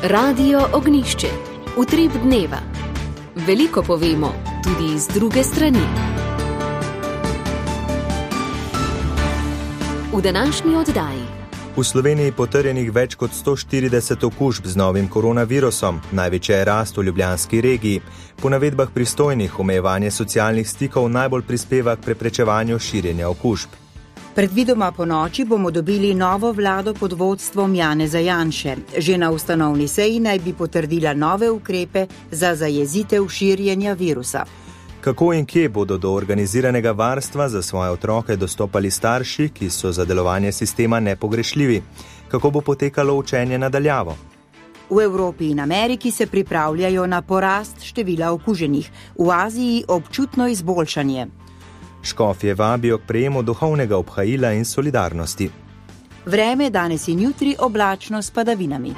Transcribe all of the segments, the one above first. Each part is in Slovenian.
Radio Ognišče, utrip dneva. Veliko povemo, tudi iz druge strani. V današnji oddaji. V Sloveniji potrjenih več kot 140 okužb z novim koronavirusom, največja je rast v ljubljanski regiji. Po navedbah pristojnih omejevanje socialnih stikov najbolj prispeva k preprečevanju širjenja okužb. Predvidoma po noči bomo dobili novo vlado pod vodstvom Janeza Janše. Že na ustanovni seji naj bi potrdila nove ukrepe za zajezitev širjenja virusa. Kako in kje bodo do organiziranega varstva za svoje otroke dostopali starši, ki so za delovanje sistema nepogrešljivi? Kako bo potekalo učenje na daljavo? V Evropi in Ameriki se pripravljajo na porast števila okuženih, v Aziji občutno izboljšanje. Škofje vabijo k prejemu duhovnega obhajila in solidarnosti. Vreme danes in jutri oblačno s padavinami.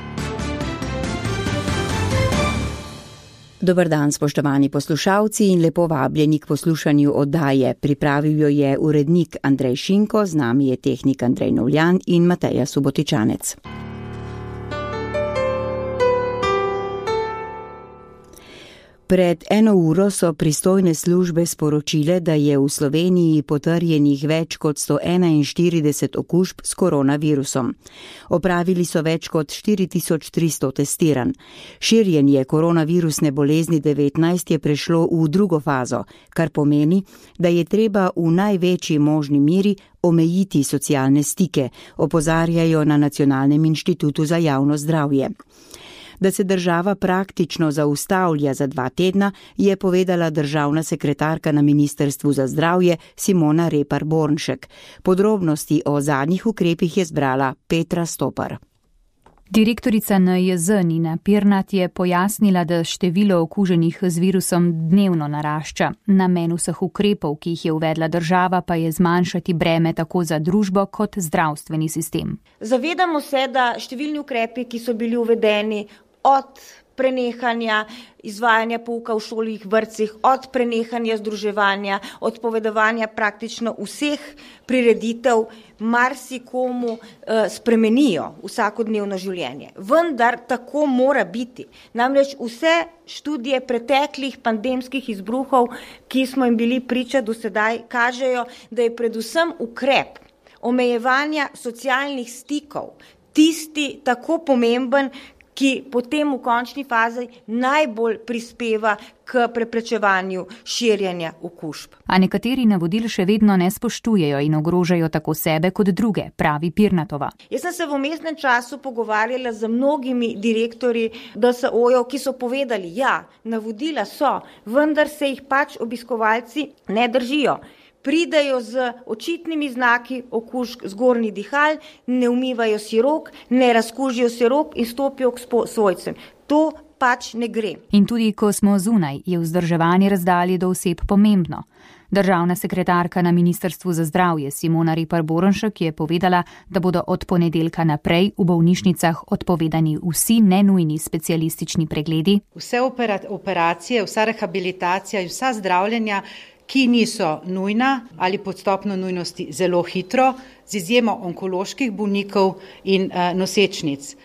Dober dan, spoštovani poslušalci, in lepo vabljeni k poslušanju oddaje. Pripravil jo je urednik Andrej Šinko, z nami je tehnik Andrej Novljan in Mateja Subotičanec. Pred 1 uro so pristojne službe sporočile, da je v Sloveniji potrjenih več kot 141 okužb s koronavirusom. Opravili so več kot 4300 testiranj. Širjenje koronavirusne bolezni 19 je prešlo v drugo fazo, kar pomeni, da je treba v največji možni meri omejiti socialne stike, opozarjajo na Nacionalnem inštitutu za javno zdravje. Da se država praktično zaustavlja za 2 tedna, je povedala državna sekretarka na Ministrstvu za zdravje Simona Repar Bornšek. Podrobnosti o zadnjih ukrepih je zbrala Petra Stopar. Direktorica NIJZ Nina Pirnat je pojasnila, da število okuženih z virusom dnevno narašča. Namen vseh ukrepov, ki jih je uvedla država, pa je zmanjšati breme tako za družbo kot zdravstveni sistem. Zavedamo se, da številni ukrepi, ki so bili uvedeni od prenehanja izvajanja pouka v šolih, vrtcih, od prenehanja združevanja, od povedovanja praktično vseh prireditev, marsikomu spremenijo vsakodnevno življenje. Vendar tako mora biti. Namreč vse študije preteklih pandemskih izbruhov, ki smo jim bili priča do sedaj, kažejo, da je predvsem ukrep omejevanja socialnih stikov tisti tako pomemben, ki potem v končni fazi najbolj prispeva k preprečevanju širjenja okužb. A nekateri navodil še vedno ne spoštujejo in ogrožajo tako sebe kot druge, pravi Pirnatova. Jaz sem se v vmesnem času pogovarjala z mnogimi direktorji DSO-jev, ki so povedali, ja, navodila so, vendar se jih pač obiskovalci ne držijo. Pridajo z očitnimi znaki okužb zgornjih dihal, ne umivajo si rok, ne razkužijo si rok in stopijo k svojcem. To pač ne gre. In tudi ko smo zunaj, je vzdrževanje razdalje do oseb pomembno. Državna sekretarka na Ministrstvu za zdravje Simona Repar Bornšek je povedala, da bodo od ponedeljka naprej v bolnišnicah odpovedani vsi nenujni specialistični pregledi. Vse operacije, vsa rehabilitacija in vsa zdravljenja, ki niso nujna ali pod stopnjo nujnosti zelo hitro, z izjemo onkoloških bolnikov in nosečnic.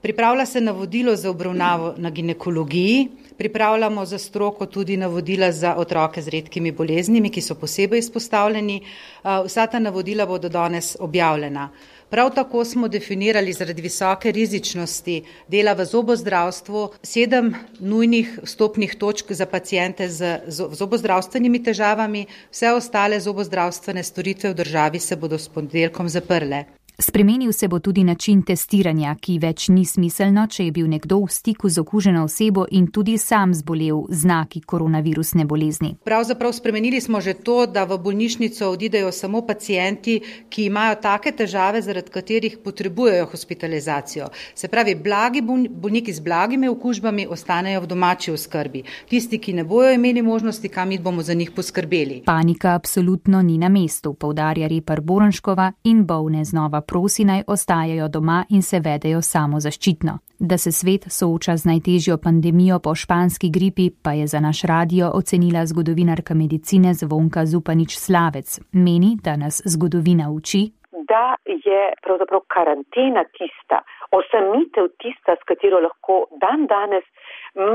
Pripravlja se navodilo za obravnavo na ginekologiji, pripravljamo za stroko tudi navodila za otroke z redkimi boleznimi, ki so posebej izpostavljeni. Vsa ta navodila bodo danes objavljena. Prav tako smo definirali zaradi visoke rizičnosti dela v zobozdravstvu 7 nujnih vstopnih točk za paciente z zobozdravstvenimi težavami. Vse ostale zobozdravstvene storitve v državi se bodo s ponedeljkom zaprle. Spremenil se bo tudi način testiranja, ki več ni smiselno, če je bil nekdo v stiku z okuženo osebo in tudi sam zbolel znaki koronavirusne bolezni. Pravzaprav spremenili smo že to, da v bolnišnico odidejo samo pacienti, ki imajo take težave, zaradi katerih potrebujejo hospitalizacijo. Se pravi, blagi bolniki z blagimi okužbami ostanejo v domači oskrbi. Tisti, ki ne bojo imeli možnosti, kam iti, bomo za njih poskrbeli. Panika absolutno ni na mestu, poudarja Repar Bornškova, in bolne znova prosi, naj ostajajo doma in se vedejo samozaščitno. Da se svet sooča z najtežjo pandemijo po španski gripi, pa je za naš radio ocenila zgodovinarka medicine Zvonka Zupanič Slavec. Meni, da nas zgodovina uči, da je pravzaprav karantena tista, osamitev tista, s katero lahko danes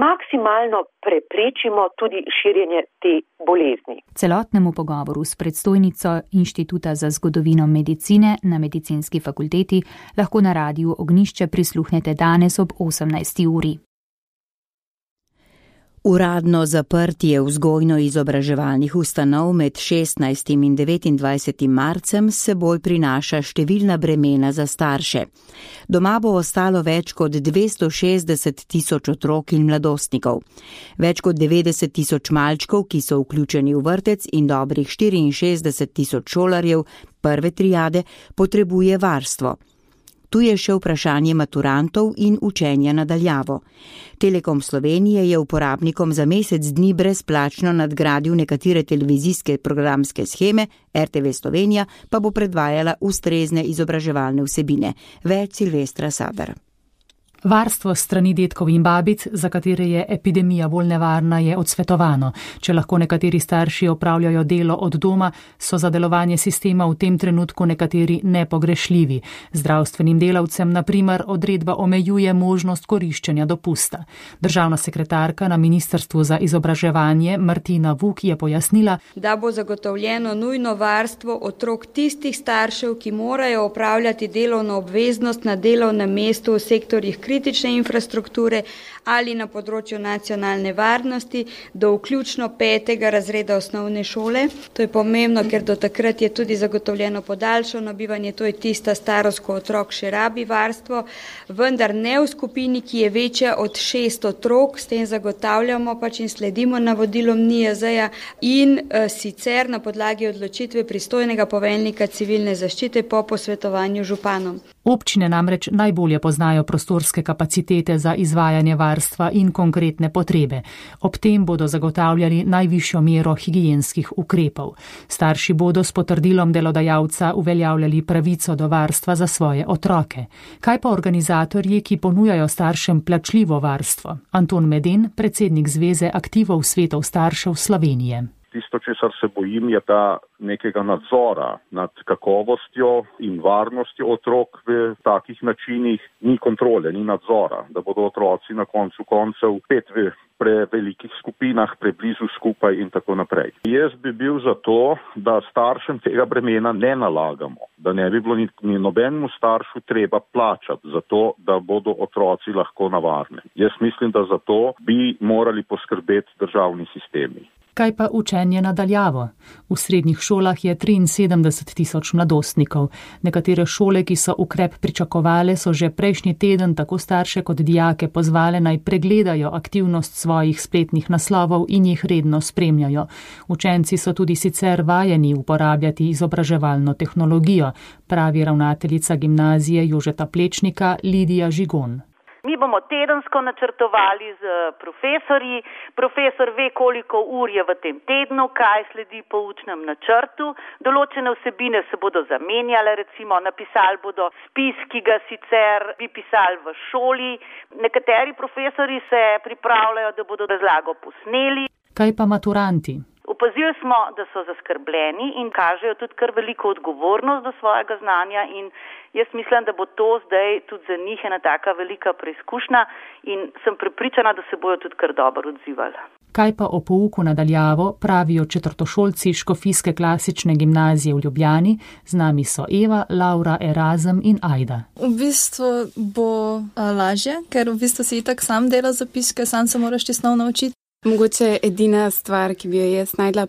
maksimalno preprečimo tudi širjenje te bolezni. Celotnemu pogovoru s predstojnico Inštituta za zgodovino medicine na Medicinski fakulteti lahko na Radiu Ognjišče prisluhnete danes ob 18. uri. Uradno zaprtje vzgojno-izobraževalnih ustanov med 16. in 29. marcem s seboj prinaša številna bremena za starše. Doma bo ostalo več kot 260 tisoč otrok in mladostnikov. Več kot 90 tisoč malčkov, ki so vključeni v vrtec, in dobrih 64 tisoč šolarjev prve triade potrebuje varstvo. Tu je še vprašanje maturantov in učenja nadaljavo. Telekom Slovenije je uporabnikom za mesec dni brezplačno nadgradil nekatere televizijske programske sheme, RTV Slovenija pa bo predvajala ustrezne izobraževalne vsebine. Več Silvestra Sadar. Varstvo strani dedkov in babic, za katere je epidemija bolj nevarna, je odsvetovano. Če lahko nekateri starši opravljajo delo od doma, so za delovanje sistema v tem trenutku nekateri nepogrešljivi. Zdravstvenim delavcem, na primer, odredba omejuje možnost koriščenja dopusta. Državna sekretarka na Ministrstvu za izobraževanje Martina Vuk je pojasnila, da bo zagotovljeno nujno varstvo otrok tistih staršev, ki morajo opravljati delovno obveznost na delovnem mestu v sektorjih kritične infrastrukture ali na področju nacionalne varnosti do vključno 5. razreda osnovne šole. To je pomembno, ker do takrat je tudi zagotovljeno podaljšano bivanje, to je tista starost, ko otrok še rabi varstvo, vendar ne v skupini, ki je večja od 6 otrok, s tem zagotavljamo in sledimo navodilom NIJZ-ja in sicer na podlagi odločitve pristojnega poveljnika civilne zaščite po posvetovanju županom. Občine namreč najbolje poznajo prostorske kapacitete za izvajanje varstva in konkretne potrebe. Ob tem bodo zagotavljali najvišjo mero higienskih ukrepov. Starši bodo s potrdilom delodajalca uveljavljali pravico do varstva za svoje otroke. Kaj pa organizatorji, ki ponujajo staršem plačljivo varstvo? Anton Meden, predsednik Zveze aktivov svetov staršev Slovenije. Tisto, česar se bojim, je ta nekega nadzora nad kakovostjo in varnostjo otrok v takih načinih. Ni kontrole, ni nadzora, da bodo otroci na koncu koncev spet v prevelikih skupinah, preblizu skupaj in tako naprej. Jaz bi bil za to, da staršem tega bremena ne nalagamo, da ne bi bilo ni nobenemu staršu treba plačati za to, da bodo otroci lahko na varnem. Jaz mislim, da za to bi morali poskrbeti državni sistemi. Kaj pa učenje nadaljavo? V srednjih šolah je 73 tisoč mladostnikov. Nekatere šole, ki so ukrep pričakovale, so že prejšnji teden tako starše kot dijake pozvale naj pregledajo aktivnost svojih spletnih naslovov in jih redno spremljajo. Učenci so tudi sicer vajeni uporabljati izobraževalno tehnologijo, pravi ravnateljica gimnazije Jožeta Plečnika Lidija Žigon. Mi bomo tedensko načrtovali z profesorji. Profesor ve, koliko ur je v tem tednu, kaj sledi po učnem načrtu. Določene vsebine se bodo zamenjale, recimo napisali bodo spis, ki ga sicer bi pisali v šoli. Nekateri profesori se pripravljajo, da bodo razlago posneli. Kaj pa maturanti? Opazili smo, da so zaskrbljeni in kažejo tudi kar veliko odgovornost do svojega znanja in jaz mislim, da bo to zdaj tudi za njih ena taka velika preizkušnja in sem prepričana, da se bojo tudi kar dobro odzivali. Kaj pa o pouku nadaljavo pravijo četrtošolci Škofijske klasične gimnazije v Ljubljani? Z nami so Eva, Laura, Erazem in Ajda. V bistvu bo lažje, ker v bistvu si itak sam dela zapiske, sam se moraš ti snov naučiti. Mogoče edina stvar, ki bi jo jaz najdla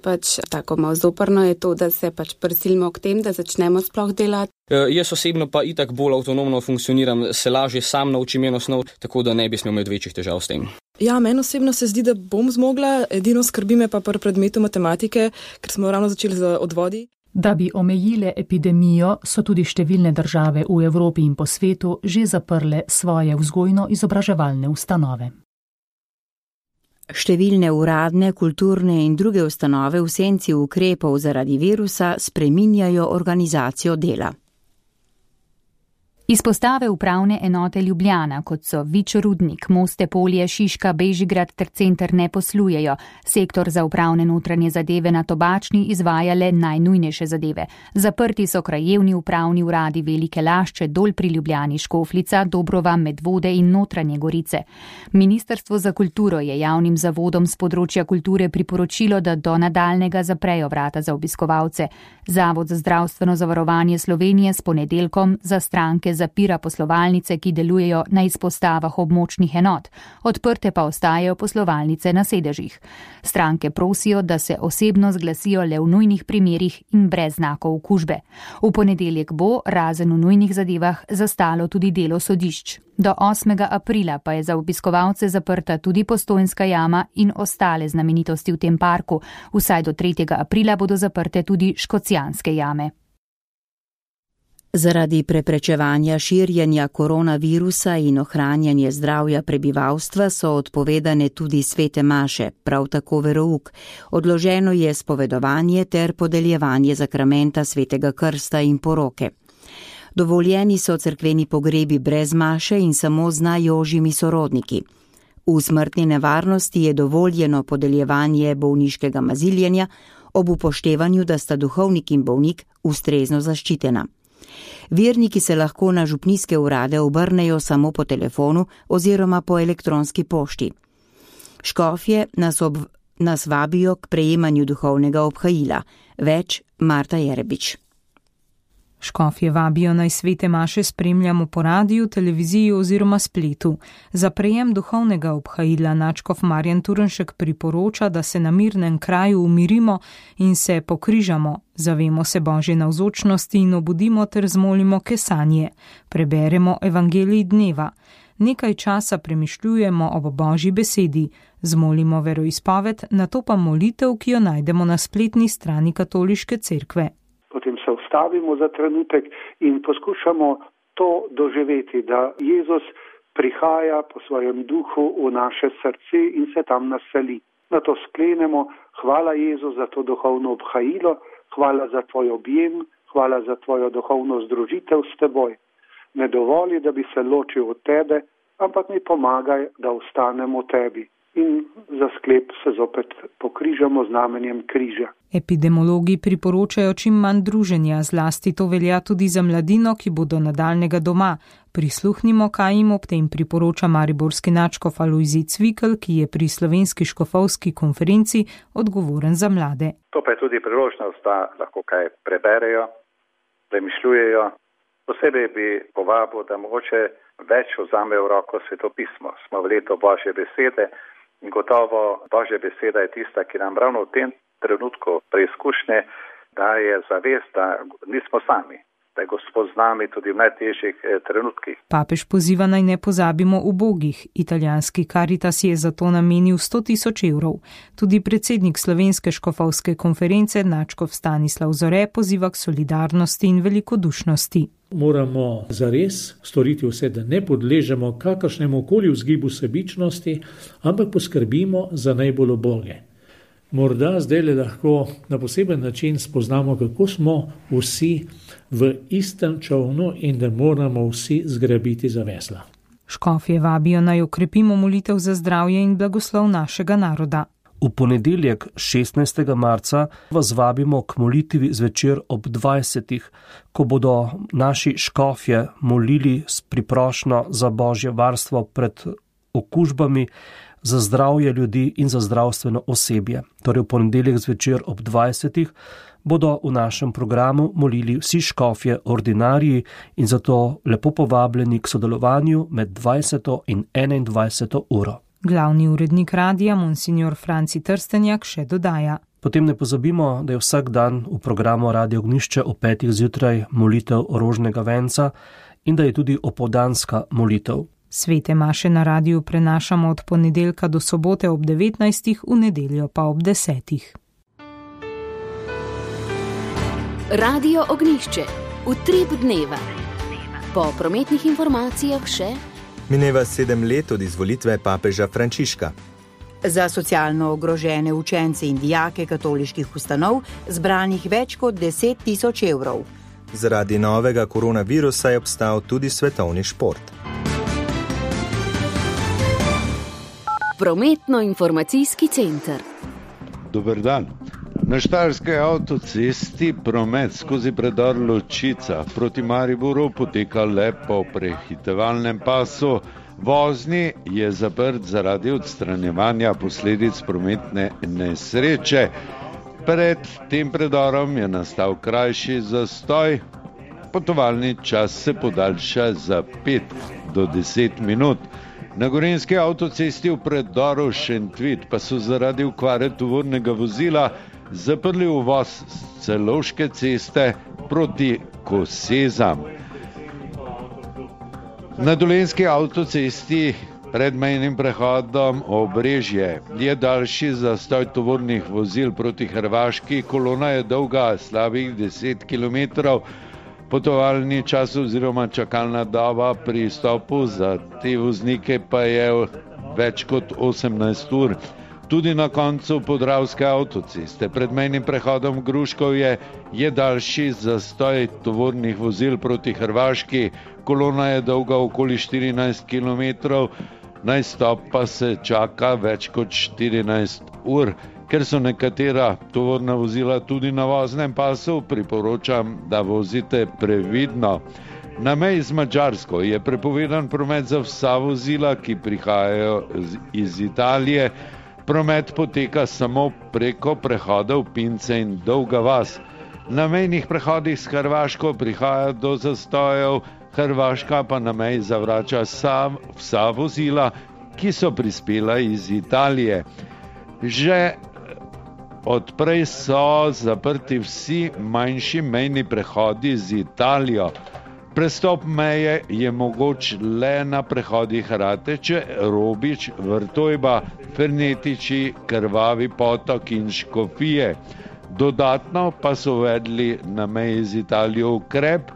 tako malo zoprno, je to, da se prisilimo k tem, da začnemo sploh delati. Jaz osebno pa itak bolj avtonomno funkcioniram, se lažje sam naučim eno snov, tako da ne bi smel imeti večjih težav s tem. Ja, meni osebno se zdi, da bom zmogla, edino skrbi me pa pri predmetu matematike, ker smo ravno začeli z odvodi. Da bi omejile epidemijo, so tudi številne države v Evropi in po svetu že zaprle svoje vzgojno-izobraževalne ustanove. Številne uradne, kulturne in druge ustanove v senci ukrepov zaradi virusa spreminjajo organizacijo dela. Izpostave upravne enote Ljubljana, kot so Vič Rudnik, Moste Polje, Šiška, Bežigrad ter center ne poslujejo. Sektor za upravne notranje zadeve na Tobačni izvaja le najnujnejše zadeve. Zaprti so krajevni upravni uradi Velike Lašče, Dol pri Ljubljani, Škofljica, Dobrova, Medvode in Notranje Gorice. Ministrstvo za kulturo je javnim zavodom z področja kulture priporočilo, da do nadaljnega zaprejo vrata za obiskovalce. Zavod za zdravstveno zavarovanje Slovenije s ponedeljkom za stranke zapira poslovalnice, ki delujejo na izpostavah območnih enot. Odprte pa ostajajo poslovalnice na sedežih. Stranke prosijo, da se osebno zglasijo le v nujnih primerih in brez znakov okužbe. V ponedeljek bo, razen v nujnih zadevah, zastalo tudi delo sodišč. Do 8. aprila pa je za obiskovalce zaprta tudi Postojnska jama in ostale znamenitosti v tem parku. Vsaj do 3. aprila bodo zaprte tudi Škocjanske jame. Zaradi preprečevanja širjenja koronavirusa in ohranjanja zdravja prebivalstva so odpovedane tudi svete maše, prav tako verouk. Odloženo je spovedovanje ter podeljevanje zakramenta svetega krsta in poroke. Dovoljeni so cerkveni pogrebi brez maše in samo z najožjimi sorodniki. V smrtni nevarnosti je dovoljeno podeljevanje bolniškega maziljenja ob upoštevanju, da sta duhovnik in bolnik ustrezno zaščitena. Verniki se lahko na župnijske urade obrnejo samo po telefonu oziroma po elektronski pošti. Škofje nas vabijo k prejemanju duhovnega obhajila. Več Marta Jerebič. Škofje vabijo naj svete maše spremljamo po radiju, televiziji oziroma spletu. Za prejem duhovnega obhajila nadškof Marjan Turnšek priporoča, da se na mirnem kraju umirimo in se pokrižamo, zavemo se Božje navzočnosti in obudimo ter zmolimo kesanje. Preberemo evangelij dneva. Nekaj časa premišljujemo ob Božji besedi, zmolimo veroizpoved, nato pa molitev, ki jo najdemo na spletni strani Katoliške cerkve. Potem se ustavimo za trenutek in poskušamo to doživeti, da Jezus prihaja po svojem duhu v naše srce in se tam naseli. Na to sklenemo, hvala Jezus za to duhovno obhajilo, hvala za tvoj objem, hvala za tvojo duhovno združitev s teboj. Ne dovoli, da bi se ločil od tebe, ampak mi pomagaj, da ostanem v tebi. In za sklep se zopet pokrižamo znamenjem križa. Epidemiologi priporočajo čim manj druženja, zlasti to velja tudi za mladino, ki bodo nadaljnega doma. Prisluhnimo, kaj jim ob tem priporoča mariborski nadškof Alojzij Cvikl, ki je pri slovenski škofovski konferenci odgovoren za mlade. To pa je tudi priložnost, da lahko kaj preberejo, premišljujejo. Posebej bi povabil, da mogoče več vzamejo v roko svetopismo. Smo v letu Božje besede. In gotovo Božja beseda je tista, ki nam ravno v tem trenutku preizkušnje daje zavest, da nismo sami, da je Gospod z nami tudi v najtežjih trenutkih. Papež poziva naj ne pozabimo ubogih. Italijanski Caritas je zato namenil 100.000 evrov. Tudi predsednik Slovenske škofovske konference nadškof Stanislav Zore poziva k solidarnosti in velikodušnosti. Moramo zares storiti vse, da ne podležemo kakršnemu koli vzgibu sebičnosti, ampak poskrbimo za najbolj uboge. Morda zdaj lahko na poseben način spoznamo, kako smo vsi v istem čovnu in da moramo vsi zgrabiti za vesla. Škofje vabijo naj okrepimo molitev za zdravje in blagoslov našega naroda. V ponedeljek 16. marca vas vabimo k molitvi zvečer ob 20. ko bodo naši škofje molili s priprošnjo za Božje varstvo pred okužbami, za zdravje ljudi in za zdravstveno osebje. Torej v ponedeljek zvečer ob 20. bodo v našem programu molili vsi škofje ordinariji in zato lepo povabljeni k sodelovanju med 20. in 21. uro. Glavni urednik radija, monsignor Franci Trstenjak, še dodaja. Potem ne pozabimo, da je vsak dan v programu Radio Ognjišče ob 5. zjutraj molitev rožnega venca in da je tudi opoldanska molitev. Svete maše na radiju prenašamo od ponedeljka do sobote ob 19. v nedeljo pa ob 10. Radio Ognjišče, utrip dneva. Po prometnih informacijah še mineva 7 let od izvolitve papeža Frančiška. Za socialno ogrožene učence in dijake katoliških ustanov zbranih več kot 10.000 evrov. Zaradi novega koronavirusa je obstal tudi svetovni šport. Prometno-informacijski center. Dober dan. Na štajerski avtocesti promet skozi predor Ločica proti Mariboru poteka le po prehitevalnem pasu. Vozni je zaprt zaradi odstranjevanja posledic prometne nesreče. Pred tem predorom je nastal krajši zastoj. Potovalni čas se podaljša za 5 do 10 minut. Na gorenjski avtocesti v predoru Šentvid pa so zaradi okvare tovornega vozila zaprli uvoz s Celovške ceste proti Kosezam. Na dolenjski avtocesti pred mejnim prehodom Obrežje je daljši zastoj tovornih vozil proti Hrvaški. Kolona je dolga slabih 10 km. Potovalni čas oziroma čakalna doba pri izstopu za te voznike pa je več kot 18 ur. Tudi na koncu Podravske avtoceste pred mejnim prehodom Gruškovje je daljši zastoj tovornih vozil proti Hrvaški. Kolona je dolga okoli 14 km, na izstop pa se čaka več kot 14 ur. Ker so nekatera tovorna vozila tudi na voznem pasu, priporočam, da vozite previdno. Na meji z Madžarsko je prepovedan promet za vsa vozila, ki prihajajo iz Italije. Promet poteka samo preko prehodov Pince in Dolga vas. Na mejnih prehodih s Hrvaško prihaja do zastojev, Hrvaška pa na meji zavrača vsa vozila, ki so prispela iz Italije. Že odprej so zaprti vsi manjši mejni prehodi z Italijo. Prestop meje je mogoč le na prehodih Rateče, Robič, Vrtojba, Fernetiči, Krvavi potok in Škofije. Dodatno pa so uvedli na meji z Italijo ukrep,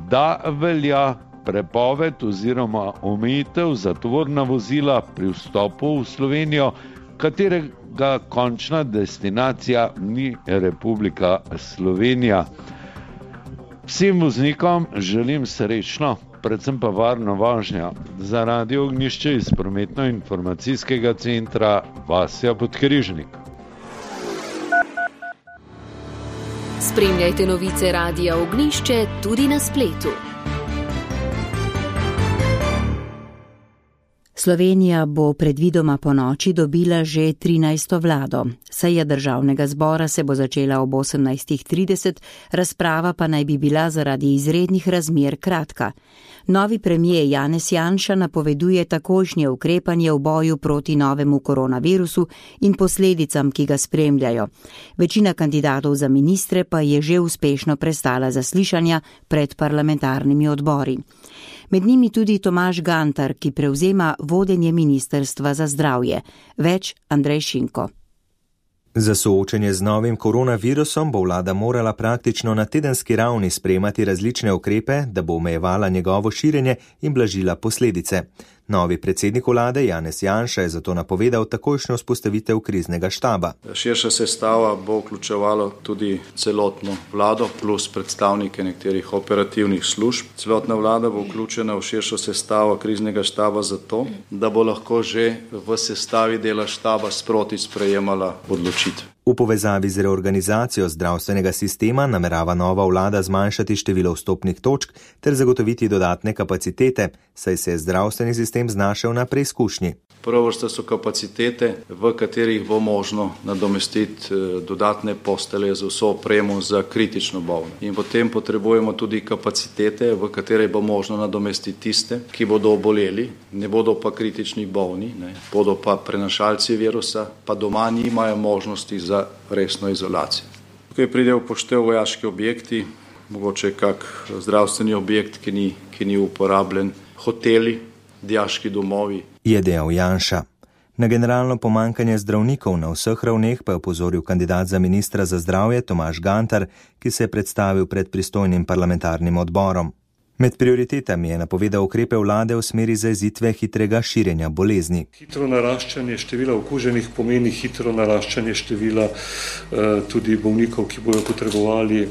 da velja prepoved oziroma omejitev za tovorna vozila pri vstopu v Slovenijo, katerega končna destinacija ni Republika Slovenija. Vsem voznikom želim srečno, predvsem pa varno vožnjo. Za Radio Ognjišče iz Prometno-informacijskega centra Vasja Podkrižnik. Spremljajte novice Radia Ognjišče tudi na spletu. Slovenija bo predvidoma po noči dobila že 13. vlado. Seja državnega zbora se bo začela ob 18:30, razprava pa naj bi bila zaradi izrednih razmer kratka. Novi premijer Janez Janša napoveduje takojšnje ukrepanje v boju proti novemu koronavirusu in posledicam, ki ga spremljajo. Večina kandidatov za ministre pa je že uspešno prestala zaslišanja pred parlamentarnimi odbori. Med njimi tudi Tomaž Gantar, ki prevzema vodenje Ministrstva za zdravje. Več Andrej Šinko. Za soočenje z novim koronavirusom bo vlada morala praktično na tedenski ravni sprejemati različne ukrepe, da bo omejevala njegovo širjenje in blažila posledice. Novi predsednik vlade Janez Janša je zato napovedal takojšnjo vzpostavitev kriznega štaba. Širša sestava bo vključevalo tudi celotno vlado plus predstavnike nekaterih operativnih služb. Celotna vlada bo vključena v širšo sestavo kriznega štaba zato, da bo lahko že v sestavi dela štaba sproti sprejemala odločitve. V povezavi z reorganizacijo zdravstvenega sistema namerava nova vlada zmanjšati število vstopnih točk ter zagotoviti dodatne kapacitete, saj se je zdravstveni sistem znašel na preizkušnji. Prva vrsta so kapacitete, v katerih bo možno nadomestiti dodatne postelje za vso opremo za kritično bolne. In potem potrebujemo tudi kapacitete, v katere bo možno nadomestiti tiste, ki bodo oboleli, ne bodo pa kritični bolni, bodo pa prenašalci virusa, pa doma nimajo možnosti za resno izolacijo. Tukaj pride v poštev vojaški objekti, mogoče kak zdravstveni objekt, ki ni uporabljen, hoteli, dijaški domovi. Je dejal Janša. Na generalno pomankanje zdravnikov na vseh ravneh pa je opozoril kandidat za ministra za zdravje Tomaž Gantar, ki se je predstavil pred pristojnim parlamentarnim odborom. Med prioritetami je napovedal ukrepe vlade v smeri zajezitve hitrega širjenja bolezni. Hitro naraščanje števila okuženih pomeni hitro naraščanje števila tudi bolnikov, ki bodo potrebovali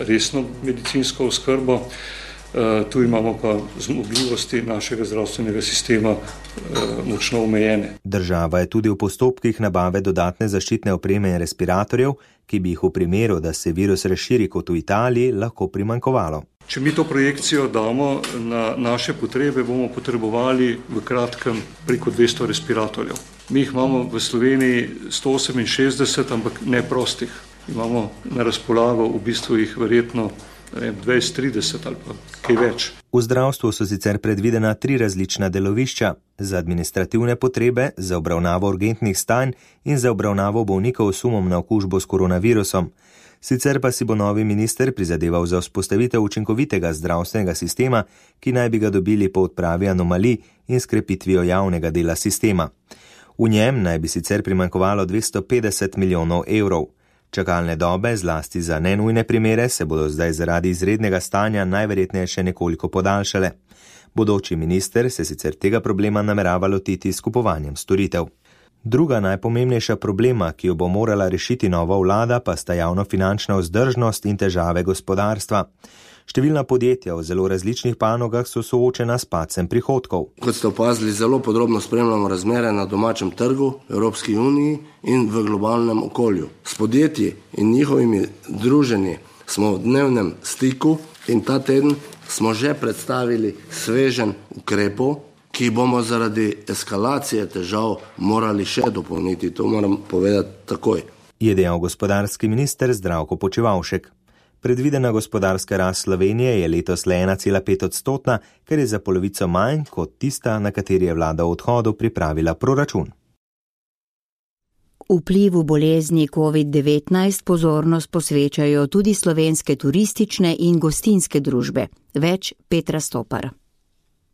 resno medicinsko oskrbo. Tu imamo pa zmogljivosti našega zdravstvenega sistema močno omejene. Država je tudi v postopkih nabave dodatne zaščitne opreme in respiratorjev, ki bi jih v primeru, da se virus razširi kot v Italiji, lahko primanjkovalo. Če mi to projekcijo damo na naše potrebe, bomo potrebovali v kratkem preko 200 respiratorjev. Mi jih imamo v Sloveniji 168, ampak ne prostih. Imamo na razpolago v bistvu jih verjetno 20-30 ali pa kaj več. V zdravstvu so sicer predvidena 3 različna delovišča za administrativne potrebe, za obravnavo urgentnih stanj in za obravnavo bolnikov s sumom na okužbo s koronavirusom. Sicer pa si bo novi minister prizadeval za vzpostavitev učinkovitega zdravstvenega sistema, ki naj bi ga dobili po odpravi anomalij in s krepitvijo javnega dela sistema. V njem naj bi sicer primanjkovalo 250 milijonov evrov. Čakalne dobe, zlasti za nenujne primere, se bodo zdaj zaradi izrednega stanja najverjetneje še nekoliko podaljšale. Bodoči minister se sicer tega problema namerava lotiti s kupovanjem storitev. Druga najpomembnejša problema, ki jo bo morala rešiti nova vlada, pa sta javnofinančna vzdržnost in težave gospodarstva. Številna podjetja v zelo različnih panogah so soočena s padcem prihodkov. Kot ste opazili, zelo podrobno spremljamo razmere na domačem trgu, Evropski uniji in v globalnem okolju. S podjetji in njihovimi druženji smo v dnevnem stiku in ta teden smo že predstavili sveženj ukrepov, ki bomo zaradi eskalacije težav morali še dopolniti. To moram povedati takoj. Je dejal gospodarski minister Zdravko Počivalšek. Predvidena gospodarska rast Slovenije je letos le 1,5%, kar je za polovico manj kot tista, na kateri je vlada v odhodu pripravila proračun. Vplivu bolezni COVID-19 pozornost posvečajo tudi slovenske turistične in gostinske družbe. Več Petra Stopar.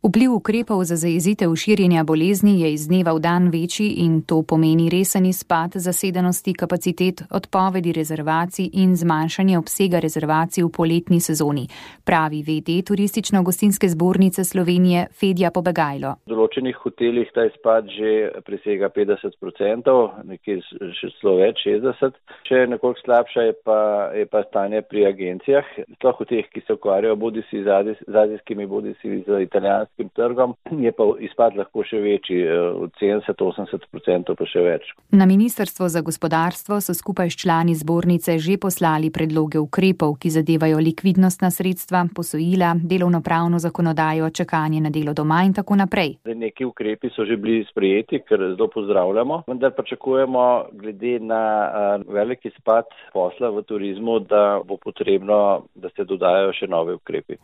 Vpliv ukrepov za zajezitev širjenja bolezni je iz dneva v dan večji in to pomeni resen izpad zasedenosti kapacitet, odpovedi rezervacij in zmanjšanje obsega rezervacij v poletni sezoni, pravi VD Turistično-gostinske zbornice Slovenije Fedja Pobegajlo. V določenih hotelih ta izpad že presega 50%, nekje še celo več, 60%. Še nekoliko slabša je pa stanje pri agencijah, sploh v teh, ki se ukvarjajo bodisi z azijskimi, bodisi z italijanskimi trgom, je pa izpad lahko še večji, od 70-80% pa še več. Na Ministrstvo za gospodarstvo so skupaj s člani zbornice že poslali predloge ukrepov, ki zadevajo likvidnostna sredstva, posojila, delovnopravno zakonodajo, čakanje na delo doma in tako naprej. Neki ukrepi so že bili sprejeti, kar zelo pozdravljamo, vendar pričakujemo glede na velik izpad posla v turizmu, da bo potrebno, da se dodajo še nove ukrepi.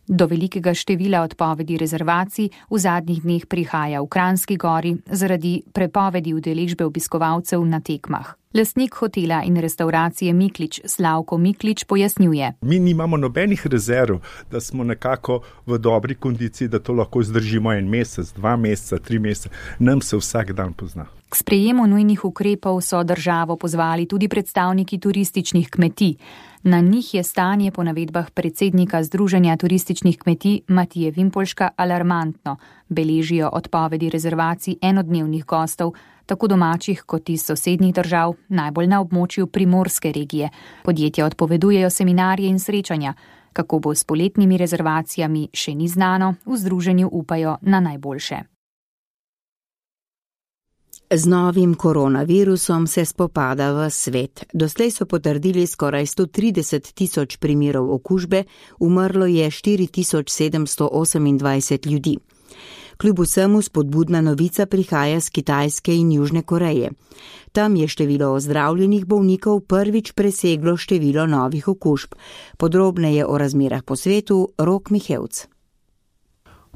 Do velikega števila odpovedi rezervacij v zadnjih dneh prihaja v Kranjski Gori zaradi prepovedi udeležbe obiskovalcev na tekmah. Lastnik hotela in restauracije Miklič Slavko Miklič pojasnjuje. Mi nimamo nobenih rezerv, da smo nekako v dobri kondiciji, da to lahko izdržimo 1 mesec, 2 meseca, 3 mesece. Nam se vsak dan pozna. K sprejemu nujnih ukrepov so državo pozvali tudi predstavniki turističnih kmetij. Na njih je stanje po navedbah predsednika Združenja turističnih kmetij Matije Vimpolška alarmantno. Beležijo odpovedi rezervacij enodnevnih gostov, tako domačih kot iz sosednjih držav, najbolj na območju primorske regije. Podjetja odpovedujejo seminarje in srečanja. Kako bo s poletnimi rezervacijami, še ni znano, v združenju upajo na najboljše. Z novim koronavirusom se spopada v svet. Doslej so potrdili skoraj 130 tisoč primerov okužbe, umrlo je 4728 ljudi. Kljub vsemu spodbudna novica prihaja z Kitajske in Južne Koreje. Tam je število ozdravljenih bolnikov prvič preseglo število novih okužb. Podrobneje o razmerah po svetu Rok Mihevc.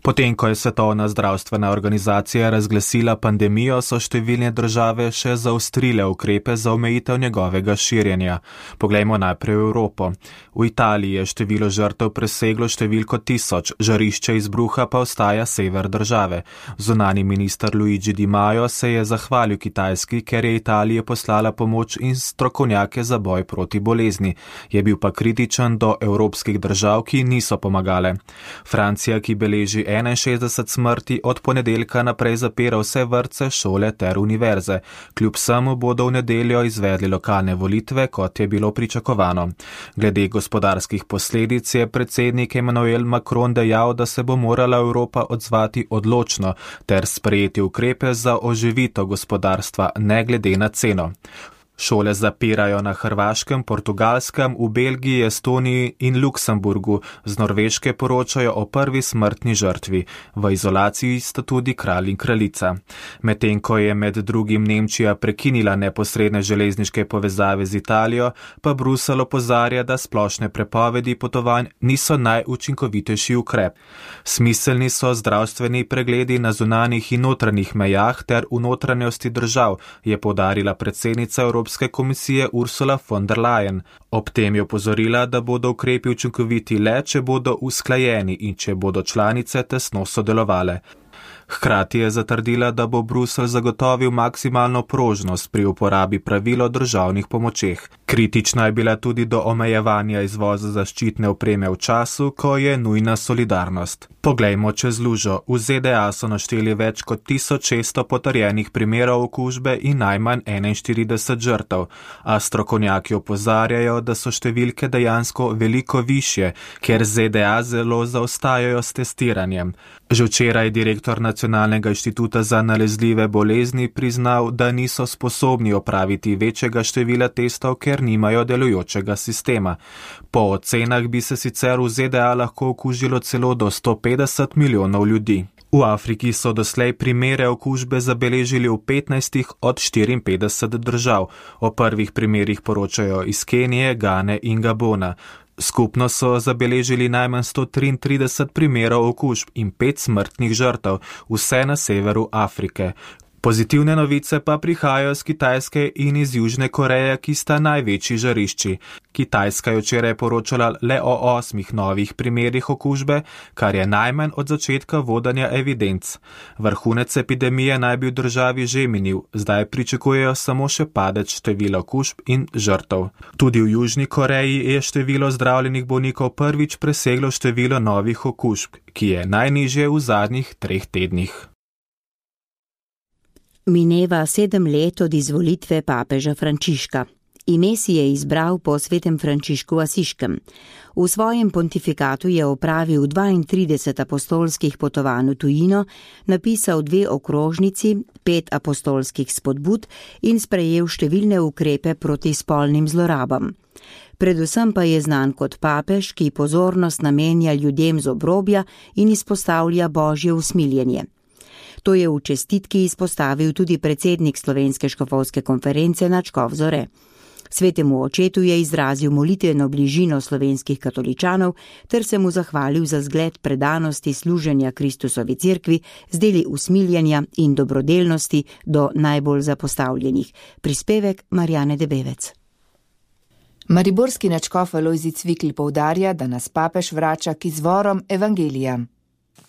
Potem, ko je Svetovna zdravstvena organizacija razglasila pandemijo, so številne države še zaostrile ukrepe za omejitev njegovega širjenja. Poglejmo najprej v Evropo. V Italiji je število žrtev preseglo številko 1000, žarišče izbruha pa ostaja sever države. Zunanji minister Luigi Di Maio se je zahvalil Kitajski, ker je Italija poslala pomoč in strokovnjake za boj proti bolezni. Je bil pa kritičen do evropskih držav, ki niso pomagale. Francija, ki beleži 61 smrti, od ponedeljka naprej zapira vse vrtce, šole ter univerze. Kljub vsemu bodo v nedeljo izvedli lokalne volitve, kot je bilo pričakovano. Glede gospodarskih posledic je predsednik Emmanuel Macron dejal, da se bo morala Evropa odzvati odločno ter sprejeti ukrepe za oživitev gospodarstva, ne glede na ceno. Šole zapirajo na Hrvaškem, Portugalskem, v Belgiji, Estoniji in Luksemburgu. Z Norveške poročajo o prvi smrtni žrtvi. V izolaciji sta tudi kralj in kraljica. Medtem ko je med drugim Nemčija prekinila neposredne železniške povezave z Italijo, pa Bruselj opozarja, da splošne prepovedi potovanj niso najučinkovitejši ukrep. Smiselni so zdravstveni pregledi na zunanjih in notranjih mejah ter v notranjosti držav, je poudarila predsednica Evropske komisije Ursula von der Leyen. Ob tem je opozorila, da bodo ukrepi učinkoviti le, če bodo usklajeni in če bodo članice tesno sodelovale. Hkrati je zatrdila, da bo Bruselj zagotovil maksimalno prožnost pri uporabi pravil o državnih pomočeh. Kritična je bila tudi do omejevanja izvoza zaščitne opreme v času, ko je nujna solidarnost. Poglejmo čez lužo. V ZDA so našteli več kot 1600 potrjenih primerov okužbe in najmanj 41 žrtev, a strokovnjaki opozarjajo, da so številke dejansko veliko višje, ker ZDA zelo zaostajajo s testiranjem. Že včeraj je direktor Nacionalnega inštituta za nalezljive bolezni priznal, da niso sposobni opraviti večjega števila testov, ker nimajo delujočega sistema. Po ocenah bi se sicer v ZDA lahko okužilo celo do 150 milijonov ljudi. V Afriki so doslej primere okužbe zabeležili v 15 od 54 držav. O prvih primerih poročajo iz Kenije, Gane in Gabona. Skupno so zabeležili najmanj 133 primerov okužb in 5 smrtnih žrtev, vse na severu Afrike. Pozitivne novice pa prihajajo z Kitajske in iz Južne Koreje, ki sta največji žarišči. Kitajska je včeraj poročala le o 8 novih primerih okužbe, kar je najmanj od začetka vodenja evidenc. Vrhunec epidemije naj bi v državi že minil, zdaj pričakujejo samo še padec števila okužb in žrtev. Tudi v Južni Koreji je število zdravljenih bolnikov prvič preseglo število novih okužb, ki je najnižje v zadnjih 3 tednih. Mineva 7 let od izvolitve papeža Frančiška. Ime si je izbral po svetem Frančišku Asiškem. V svojem pontifikatu je opravil 32 apostolskih potovanj v tujino, napisal 2 okrožnici, 5 apostolskih spodbud in sprejel številne ukrepe proti spolnim zlorabam. Predvsem pa je znan kot papež, ki pozornost namenja ljudem z obrobja in izpostavlja božje usmiljenje. To je v čestitki izpostavil tudi predsednik Slovenske škofovske konference Nadškof Zore. Svetemu očetu je izrazil molitveno bližino slovenskih katoličanov ter se mu zahvalil za zgled predanosti služenja Kristusovi cerkvi z deli usmiljenja in dobrodelnosti do najbolj zapostavljenih. Prispevek Marjane Debevec. Mariborski nadškof Alojzij Cvikl poudarja, da nas papež vrača k izvorom evangelija.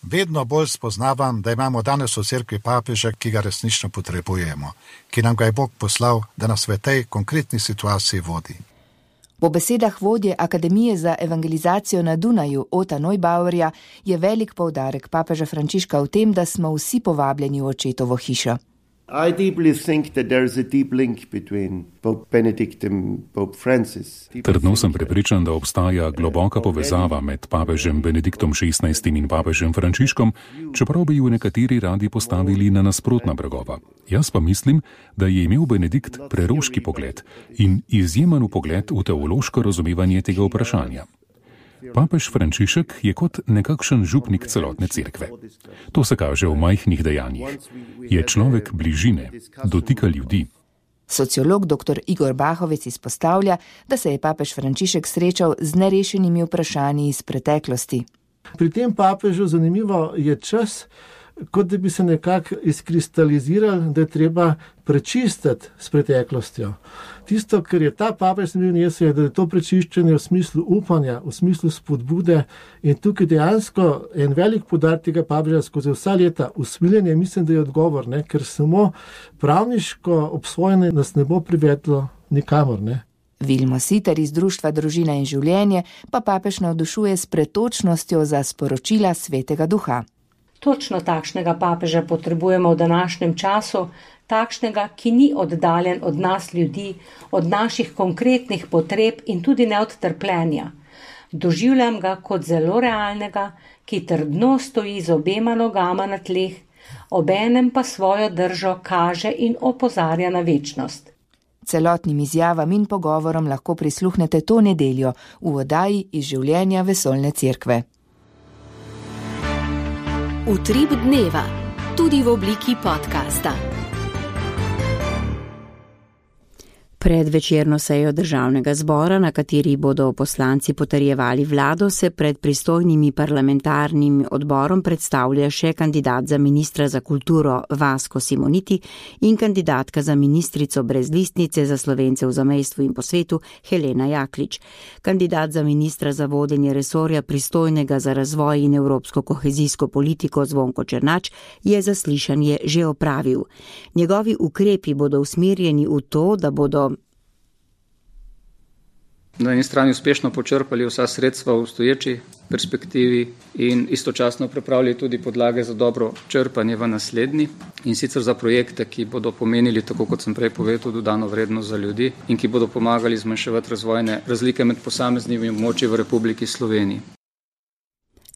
Vedno bolj spoznavam, da imamo danes v cerkvi papeža, ki ga resnično potrebujemo, ki nam ga je Bog poslal, da nas v tej konkretni situaciji vodi. Po besedah vodje Akademije za evangelizacijo na Dunaju Ota Neubauerja je velik poudarek papeža Frančiška v tem, da smo vsi povabljeni v očetovo hišo. I deeply think that there is a deep link between Pope Benedict and Pope Francis. Trdno sem prepričan, da obstaja globoka povezava med papežem Benediktom XVI in papežem Frančiškom, čeprav bi ju nekateri radi postavili na nasprotna bregova. Jaz pa mislim, da je imel Benedikt preroški pogled in izjemen pogled v teološko razumevanje tega vprašanja. Papež Frančišek je kot nekakšen župnik celotne cerkve. To se kaže v majhnih dejanjih. Je človek bližine, dotika ljudi. Sociolog dr. Igor Bahovec izpostavlja, da se je papež Frančišek srečal z nerešenimi vprašanji iz preteklosti. Pri tem papežu zanimivo je čas, kot da bi se nekako izkristalizirali, da je treba prečistiti s preteklostjo. Tisto, kar je ta papež nesel, je, da je to prečiščenje v smislu upanja, v smislu spodbude in tukaj dejansko en velik poudarek tega papeža skozi vsa leta usmiljenje, mislim, da je odgovor, ne? Ker samo pravniško obsojanje nas ne bo privedlo nikamor, ne. Vilmo Siter iz Društva Družina in življenje pa papež navdušuje s pretočnostjo za sporočila Svetega Duha. Točno takšnega papeža potrebujemo v današnjem času, takšnega, ki ni oddaljen od nas ljudi, od naših konkretnih potreb in tudi ne od trpljenja. Doživljam ga kot zelo realnega, ki trdno stoji z obema nogama na tleh, obenem pa svojo držo kaže in opozarja na večnost. Celotnim izjavam in pogovorom lahko prisluhnete to nedeljo v oddaji iz življenja Vesoljne cerkve. Utrip dneva, tudi v obliki podcasta. Pred večerno sejo Državnega zbora, na kateri bodo poslanci potrjevali vlado, se pred pristojnimi parlamentarnim odborom predstavlja še kandidat za ministra za kulturo Vasko Simoniti in kandidatka za ministrico brez listnice za Slovence v zamejstvu in po svetu Helena Jaklič. Kandidat za ministra za vodenje resorja pristojnega za razvoj in evropsko kohezijsko politiko Zvonko Černač je zaslišanje že opravil. Njegovi ukrepi bodo usmerjeni v to, da bodo na eni strani uspešno počrpali vsa sredstva v obstoječi perspektivi in istočasno pripravili tudi podlage za dobro črpanje v naslednji in sicer za projekte, ki bodo pomenili, tako kot sem prej povedal, dodano vrednost za ljudi in ki bodo pomagali zmanjševati razvojne razlike med posameznimi območji v Republiki Sloveniji.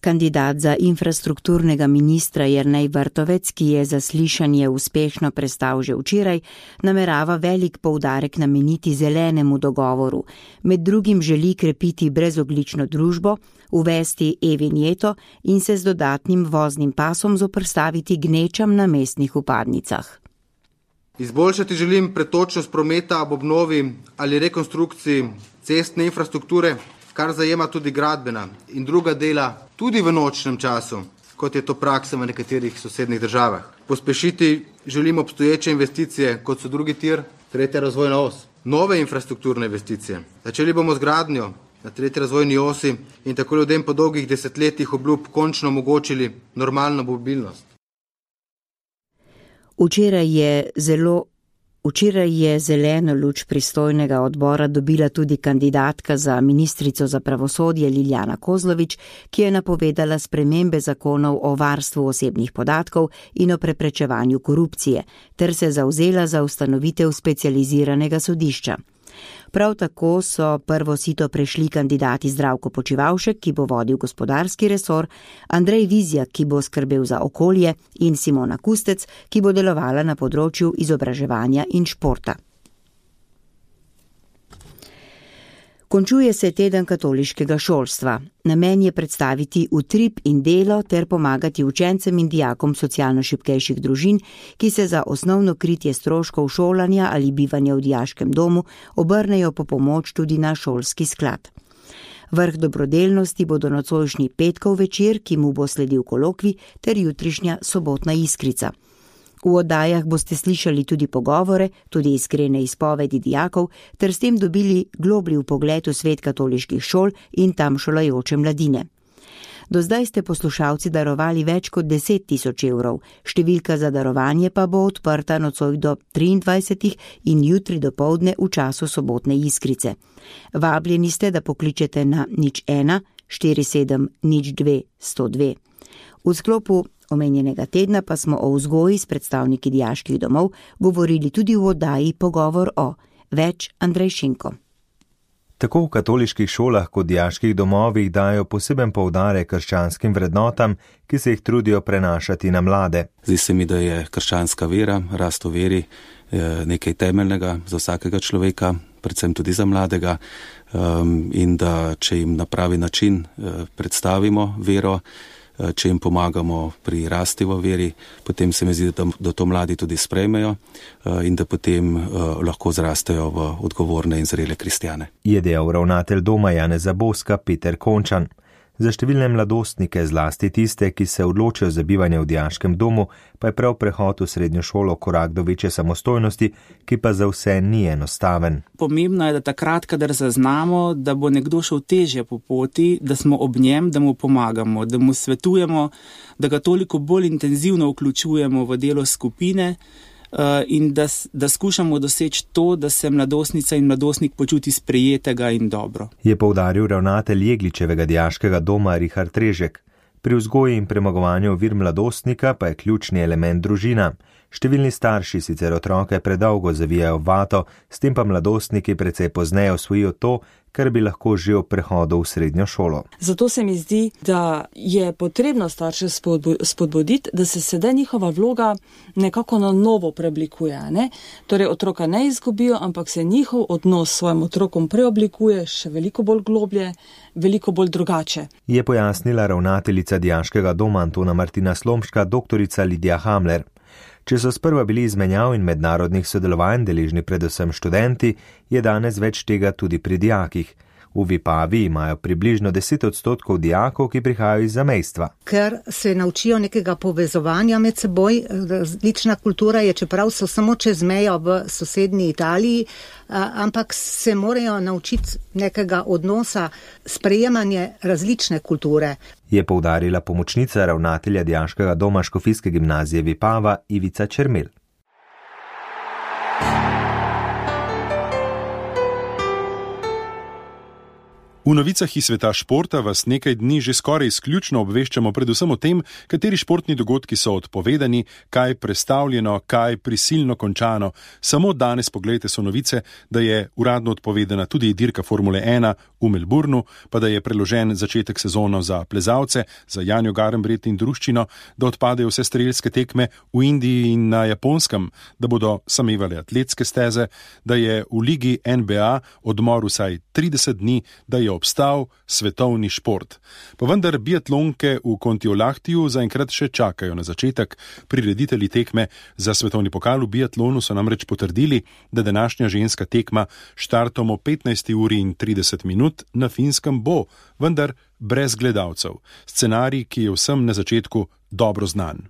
Kandidat za infrastrukturnega ministra Jernej Vrtovec, ki je zaslišanje uspešno prestal že včeraj, namerava velik poudarek nameniti zelenemu dogovoru. Med drugim želi krepiti brezoglično družbo, uvesti e-vinjeto in se z dodatnim voznim pasom zoperstaviti gnečam na mestnih vpadnicah. Izboljšati želim pretočnost prometa ob obnovi ali rekonstrukciji cestne infrastrukture, kar zajema tudi gradbena in druga dela tudi v nočnem času, kot je to praksa v nekaterih sosednjih državah. Pospešiti želimo obstoječe investicije, kot so drugi tir, tretja razvojna os, nove infrastrukturne investicije. Začeli bomo z gradnjo na tretji razvojni osi in tako ljudem po dolgih desetletjih obljub končno omogočili normalno mobilnost. Včeraj je zeleno luč pristojnega odbora dobila tudi kandidatka za ministrico za pravosodje Liljana Kozlovič, ki je napovedala spremembe zakonov o varstvu osebnih podatkov in o preprečevanju korupcije, ter se zavzela za ustanovitev specializiranega sodišča. Prav tako so prvo sito prešli kandidati Zdravko Počivalšek, ki bo vodil gospodarski resor, Andrej Vizjak, ki bo skrbel za okolje, in Simona Kustec, ki bo delovala na področju izobraževanja in športa. Končuje se teden katoliškega šolstva. Namen je predstaviti utrip in delo ter pomagati učencem in dijakom socialno šibkejših družin, ki se za osnovno kritje stroškov šolanja ali bivanja v dijaškem domu obrnejo po pomoč tudi na šolski sklad. Vrh dobrodelnosti bodo nocojšnji petkov večer, ki mu bo sledil kolokvij, ter jutrišnja sobotna iskrica. V oddajah boste slišali tudi pogovore, tudi iskrene izpovedi dijakov, ter s tem dobili globlji vpogled v svet katoliških šol in tam šolajoče mladine. Do zdaj ste poslušalci darovali več kot 10 000 evrov, številka za darovanje pa bo odprta nocoj do 23. in jutri dopoldne v času sobotne iskrice. Vabljeni ste, da pokličete na 01 47 02 102. V sklopu omenjenega tedna pa smo o vzgoji s predstavniki dijaških domov govorili tudi v oddaji Pogovor o. Več Andrej Šinko. Tako v katoliških šolah kot dijaških domovih dajo poseben poudarek krščanskim vrednotam, ki se jih trudijo prenašati na mlade. Zdi se mi, da je krščanska vera, rast v veri, nekaj temeljnega za vsakega človeka, predvsem tudi za mladega, in da če jim na pravi način predstavimo vero, če jim pomagamo pri rasti v veri, potem se mi zdi, da to mladi tudi sprejmejo in da potem lahko zrastejo v odgovorne in zrele kristjane. Je dejal ravnatelj doma Janeza Boska Peter Končan. Za številne mladostnike, zlasti tiste, ki se odločijo za bivanje v dijaškem domu, pa je prav prehod v srednjo šolo korak do večje samostojnosti, ki pa za vse ni enostaven. Pomembno je, da takrat, kadar zaznamo, da bo nekdo šel težje po poti, da smo ob njem, da mu pomagamo, da mu svetujemo, da ga toliko bolj intenzivno vključujemo v delo skupine, in da skušamo doseči to, da se mladostnica in mladostnik počuti sprejetega in dobro. Je poudaril ravnatelj Jegličevega dijaškega doma Richard Režek. Pri vzgoji in premagovanju ovir mladostnika pa je ključni element družina. Številni starši sicer otroke predolgo zavijajo v vato, s tem pa mladostniki precej pozneje osvojijo to, kar bi lahko že ob prehodu v srednjo šolo. Zato se mi zdi, da je potrebno starše spodbuditi, da se sedaj njihova vloga nekako na novo preoblikuje. Ne? Torej otroka ne izgubijo, ampak se njihov odnos s svojim otrokom preoblikuje še veliko bolj globlje, veliko bolj drugače. Je pojasnila ravnateljica dijaškega doma Antona Martina Slomška, doktorica Lidija Hamler. Če so sprva bili izmenjav in mednarodnih sodelovanj deležni predvsem študenti, je danes več tega tudi pri dijakih. V Vipavi imajo približno 10% dijakov, ki prihajajo iz zamejstva. Ker se naučijo nekega povezovanja med seboj, različna kultura je, čeprav so samo čez mejo v sosednji Italiji, ampak se morajo naučiti nekega odnosa, sprejemanje različne kulture. Je poudarila pomočnica ravnatelja dijaškega doma Škofijske gimnazije Vipava Ivica Čermel. V novicah iz sveta športa vas nekaj dni že skoraj izključno obveščamo predvsem o tem, kateri športni dogodki so odpovedani, kaj prestavljeno, kaj prisilno končano. Samo danes pogledajte so novice, da je uradno odpovedana tudi dirka Formule 1 v Melbourneu, pa da je preložen začetek sezona za plezalce, za Janjo Garnbret in druščino, da odpadejo vse strelske tekme v Indiji in na Japonskem, da bodo samevale atletske steze, da je v ligi NBA odmor vsaj 30 dni, da je obstal svetovni šport. Pa vendar biatlonke v Kontiolahtiju zaenkrat še čakajo na začetek. Prireditelji tekme za svetovni pokal v biatlonu so namreč potrdili, da današnja ženska tekma štartom o 15:30 na Finskem bo, vendar brez gledalcev. Scenarij, ki je vsem na začetku dobro znan.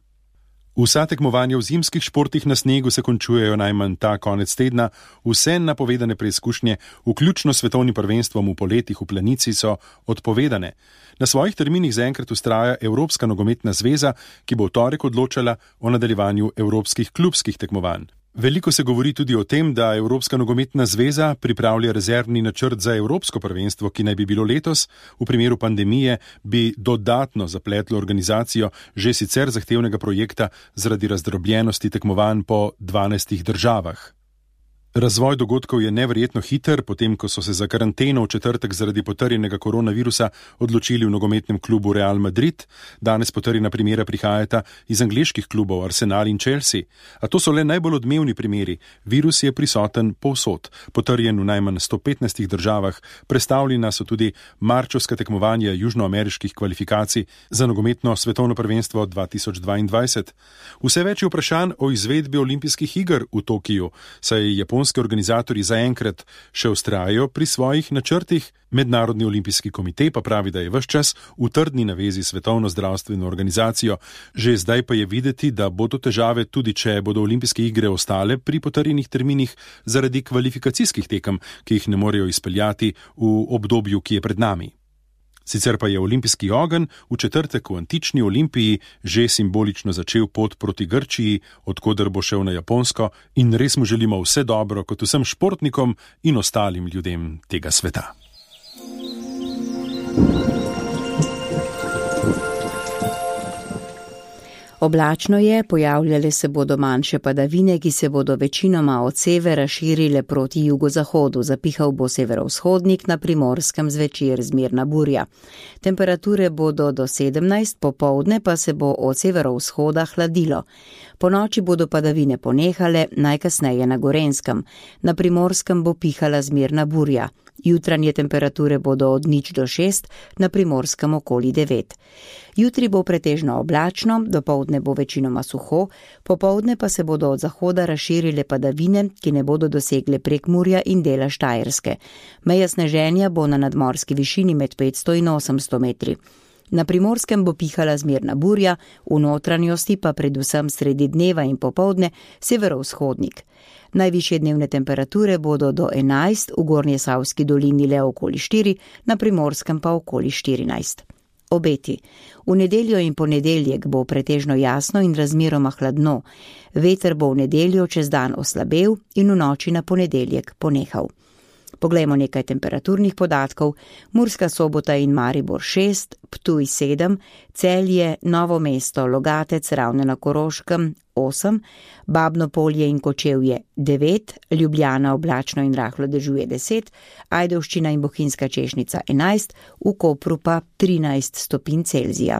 Vsa tekmovanja v zimskih športih na snegu se končujejo najmanj ta konec tedna, vse napovedane preizkušnje, vključno s svetovnim prvenstvom v poletih v Planici, so odpovedane. Na svojih terminih zaenkrat vztraja Evropska nogometna zveza, ki bo v torek odločala o nadaljevanju evropskih klubskih tekmovanj. Veliko se govori tudi o tem, da Evropska nogometna zveza pripravlja rezervni načrt za evropsko prvenstvo, ki naj bi bilo letos. V primeru pandemije bi dodatno zapletlo organizacijo že sicer zahtevnega projekta zaradi razdrobljenosti tekmovanj po 12 državah. Razvoj dogodkov je neverjetno hiter, potem ko so se za karanteno v četrtek zaradi potrjenega koronavirusa odločili v nogometnem klubu Real Madrid. Danes potrjena primera prihajata iz angleških klubov Arsenal in Chelsea. A to so le najbolj odmevni primeri. Virus je prisoten povsod, potrjen v najmanj 115 državah, prestavljena so tudi marčovska tekmovanja južnoameriških kvalifikacij za nogometno svetovno prvenstvo 2022. Vse več je vprašanj o izvedbi olimpijskih iger v Tokiju, saj japonski organizatorji zaenkrat še vztrajajo pri svojih načrtih. Mednarodni olimpijski komitej pa pravi, da je ves čas v trdni navezi s Svetovno zdravstveno organizacijo. Že zdaj pa je videti, da bodo težave tudi, če bodo olimpijske igre ostale pri potrjenih terminih zaradi kvalifikacijskih tekem, ki jih ne morejo izpeljati v obdobju, ki je pred nami. Sicer pa je olimpijski ogenj v četrtek v antični Olimpiji že simbolično začel pot proti Grčiji, odkoder bo šel na Japonsko, in res mu želimo vse dobro kot vsem športnikom in ostalim ljudem tega sveta. Oblačno je, pojavljale se bodo manjše padavine, ki se bodo večinoma od severa širile proti jugozahodu. Zapihal bo severovzhodnik, na Primorskem zvečer zmerna burja. Temperature bodo do 17, popoldne pa se bo od severovzhoda hladilo. Po noči bodo padavine ponehale, najkasneje na Gorenjskem. Na Primorskem bo pihala zmerna burja. Jutranje temperature bodo od 0 do 6, na Primorskem okoli 9. Jutri bo pretežno oblačno, dopoldne bo večinoma suho, popoldne pa se bodo od zahoda razširile padavine, ki ne bodo dosegle Prekmurja in dela Štajerske. Meja sneženja bo na nadmorski višini med 500 in 800 metri. Na Primorskem bo pihala zmerna burja, v notranjosti pa predvsem sredi dneva in popoldne severovzhodnik. Najvišje dnevne temperature bodo do 11, v Gornjesavski dolini le okoli 4, na Primorskem pa okoli 14. Obeti. V nedeljo in ponedeljek bo pretežno jasno in razmeroma hladno. Veter bo v nedeljo čez dan oslabel in v noči na ponedeljek ponehal. Poglejmo nekaj temperaturnih podatkov. Murska Sobota in Maribor 6, Ptuj 7, Celje, Novo mesto, Logatec, Ravne na Koroškem 8, Babno Polje in Kočevje 9, Ljubljana oblačno in rahlo dežuje 10, Ajdovščina in Bohinjska Češnica 11, v Kopru pa 13 stopinj Celzija.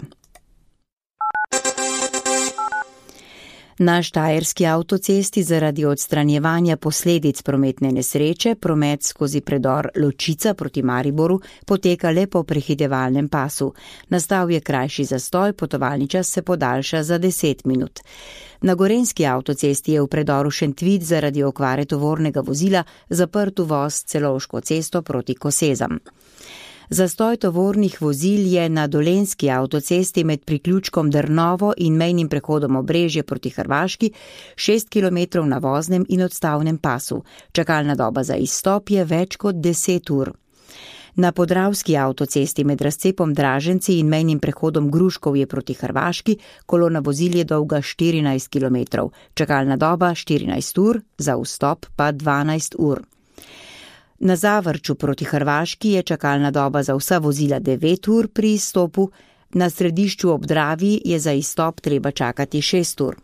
Na Štajerski avtocesti zaradi odstranjevanja posledic prometne nesreče promet skozi predor Ločica proti Mariboru poteka le po prehitevalnem pasu. Nastal je krajši zastoj, potovalni čas se podaljša za 10 minut. Na Gorenjski avtocesti je v predoru Šentvid zaradi okvare tovornega vozila zaprt uvoz Celovško cesto proti Kosezam. Zastoj tovornih vozil je na Dolenjski avtocesti med priključkom Drnovo in mejnim prehodom Obrežje proti Hrvaški 6 km na voznem in odstavnem pasu. Čakalna doba za izstop je več kot 10 ur. Na Podravski avtocesti med razcepom Draženci in mejnim prehodom Gruškovje proti Hrvaški kolona vozil je dolga 14 km. Čakalna doba 14 ur, za vstop pa 12 ur. Na Zavrču proti Hrvaški je čakalna doba za vsa vozila 9 ur pri izstopu, na Središču ob Dravi je za izstop treba čakati 6 ur.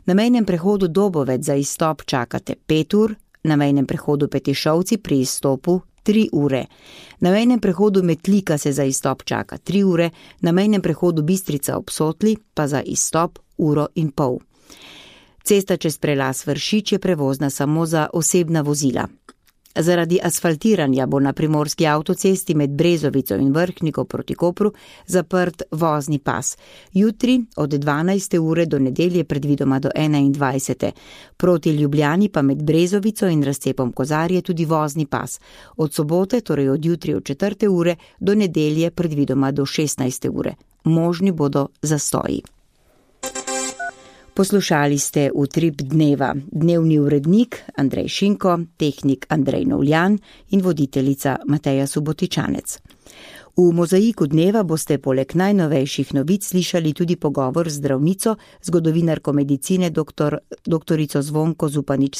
Na mejnem prehodu Dobovec za izstop čakate 5 ur, na mejnem prehodu Petišovci pri izstopu 3 ure. Na mejnem prehodu Metlika se za izstop čaka 3 ure, na mejnem prehodu Bistrica ob Sotli pa za izstop 1,5 ure. Cesta čez prelaz Vršič je prevozna samo za osebna vozila. Zaradi asfaltiranja bo na Primorski avtocesti med Brezovico in Vrhniko proti Kopru zaprt vozni pas. Jutri od 12. ure do nedelje predvidoma do 21. Proti Ljubljani pa med Brezovico in razcepom Kozarje tudi vozni pas. Od sobote, torej od jutri od 4. ure do nedelje predvidoma do 16. ure. Možni bodo zastoji. Poslušali ste Utrip dneva, dnevni urednik Andrej Šinko, tehnik Andrej Novljan in voditeljica Mateja Subotičanec. V mozaiku dneva boste poleg najnovejših novic slišali tudi pogovor z zdravnico, zgodovinarko medicine doktorico Zvonko Zupanič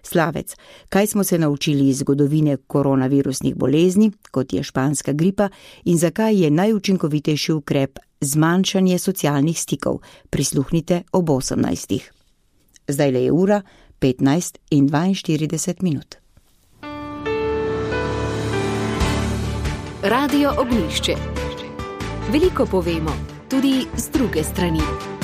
Slavec. Kaj smo se naučili iz zgodovine koronavirusnih bolezni, kot je španska gripa, in zakaj je najučinkovitejši ukrep zmanjšanje socialnih stikov. Prisluhnite ob 18. Zdajle je ura 15:42. Radio Ognjišče. Veliko povemo, tudi z druge strani.